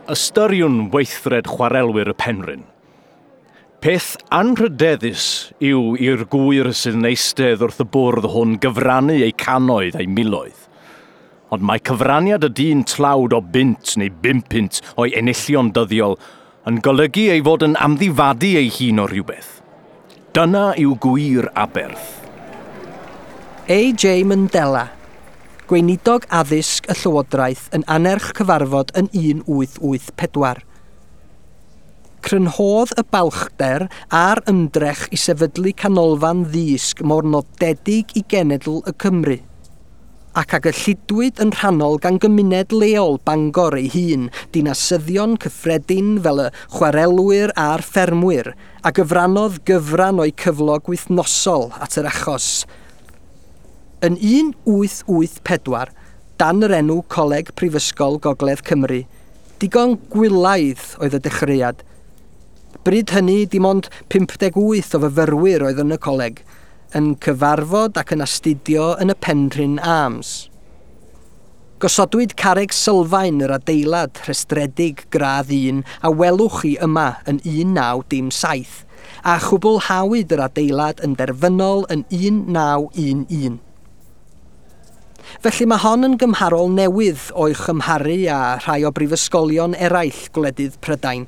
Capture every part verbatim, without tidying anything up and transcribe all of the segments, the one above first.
Ystyriwn weithred chwarelwyr y Penrhyn. Peth anrhydeddus yw i'r gŵyr sydd yn eistedd wrth y bwrdd hwn gyfrannu eu cannoedd a'u miloedd. Ond mae cyfraniad y dyn tlawd o bunt neu bum punt o'i enillion dyddiol yn golygu ei fod yn amddifadu ei hun o rhywbeth. Dyna yw gwir aberth. A J Mandela, gweinidog addysg y Llywodraeth yn annerch cyfarfod yn un wyth wyth pedwar. Crynhodd y balchder a'r ymdrech i sefydlu canolfan ddysg mor nodedig i genedl y Cymru, ac a gyllidwyd yn rhannol gan gymuned leol Bangor ei hun, dinasyddion cyffredin fel y chwarelwyr a'r ffermwyr, a gyfrannodd gyfran o'u cyflog wythnosol at yr achos. Yn un wyth wyth pedwar, dan yr enw Coleg Prifysgol Gogledd Cymru, digon gwylaidd oedd y dechreuad. Bryd hynny, dim ond pump deg wyth o fyfyrwyr oedd yn y coleg, yn cyfarfod ac yn astudio yn y Penrhyn Arms. Gosodwyd carreg sylfaen yr adeilad rhestredig gradd un a welwch chi yma yn un naw dim saith, a chwblhawyd yr adeilad yn derfynol yn un naw un un. Felly mae hon yn gymharol newydd o'i chymharu â rhai o brifysgolion eraill gwledydd Prydain.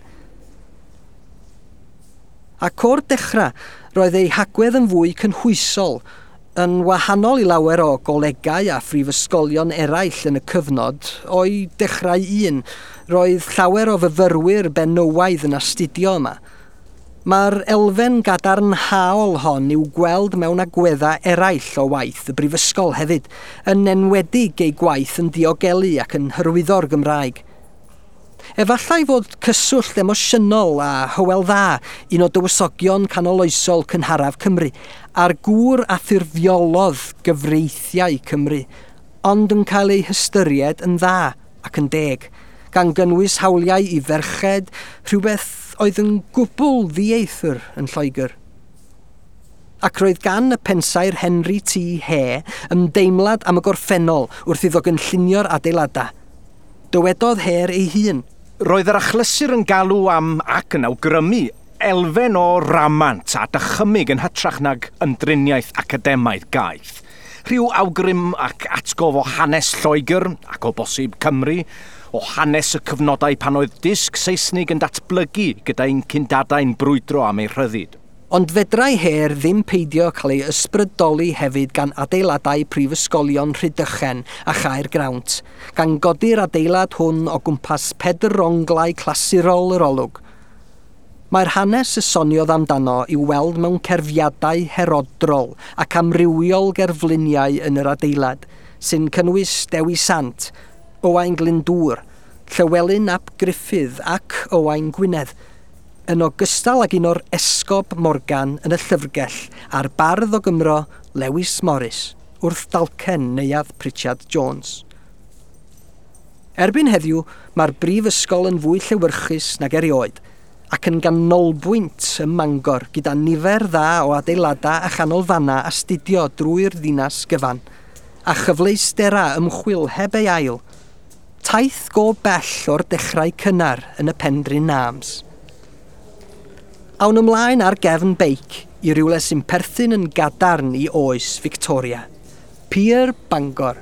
Ac o'r dechrau, roedd ei hagwedd yn fwy cynhwysol, yn wahanol i lawer o golegau a phrifysgolion eraill yn y cyfnod, o'i dechrau un, roedd llawer o fyfyrwyr benywaidd yn astudio yma. Mae'r elfen gadarnhaol hon i'w gweld mewn agweddau eraill o waith y brifysgol hefyd, yn enwedig ei gwaith yn diogelu ac yn hyrwyddo'r Gymraeg. Efallai fod cyswllt emosiynol a Hywel Dda, un o dywysogion canoloesol cynharaf Cymru, a'r gŵr a ffurfiolodd gyfreithiau Cymru, ond yn cael ei hystyried yn dda ac yn deg, gan gynnwys hawliau i ferched, rhywbeth oedd yn gwbl ddieithr yn Lloegr. Ac roedd gan y pensaer Henry T Hare ymdeimlad am y gorffennol wrth iddo gynllunio'r adeiladau. Dywedodd Hare ei hun. Roedd yr achlysur yn galw am ac yn awgrymu elfen o ramant a dychymyg yn hytrach nag ymdriniaeth academaidd gaeth. Rhyw awgrym ac atgof o hanes Lloegr ac o bosib Cymru, o hanes y cyfnodau pan oedd dysg Saesnig yn datblygu gyda'n cyndadau'n brwydro am ei rhyddid. Ond fedrai Hare ddim peidio cael ei ysbrydoli hefyd gan adeiladau prifysgolion Rhydychen a Chaergrawnt, gan godi'r adeilad hwn o gwmpas pedronglau clasurol yr olwg. Mae'r hanes y soniodd amdano i'w weld mewn cerfiadau herodrol ac amrywiol gerfluniau yn yr adeilad, sy'n cynnwys Dewi Sant, Owain Glyndŵr, Llywelyn ap Gruffydd ac Owain Gwynedd, yn ogystal ag un o'r Esgob Morgan yn y llyfrgell a'r bardd o Gymro Lewis Morris wrth dalcen Neuadd Pritchard Jones. Erbyn heddiw, mae'r brifysgol yn fwy llewyrchus nag erioed ac yn ganolbwynt ym Mangor gyda nifer dda o adeiladau a chanolfannau astudio drwy'r ddinas gyfan, a chyfleusterau ymchwil heb ei ail. Taith go bell o'r dechrau cynnar yn y Penrhyn Arms. Awn ymlaen ar gefn beic i rywle sy'n perthyn yn gadarn i oes Victoria. Pier Bangor.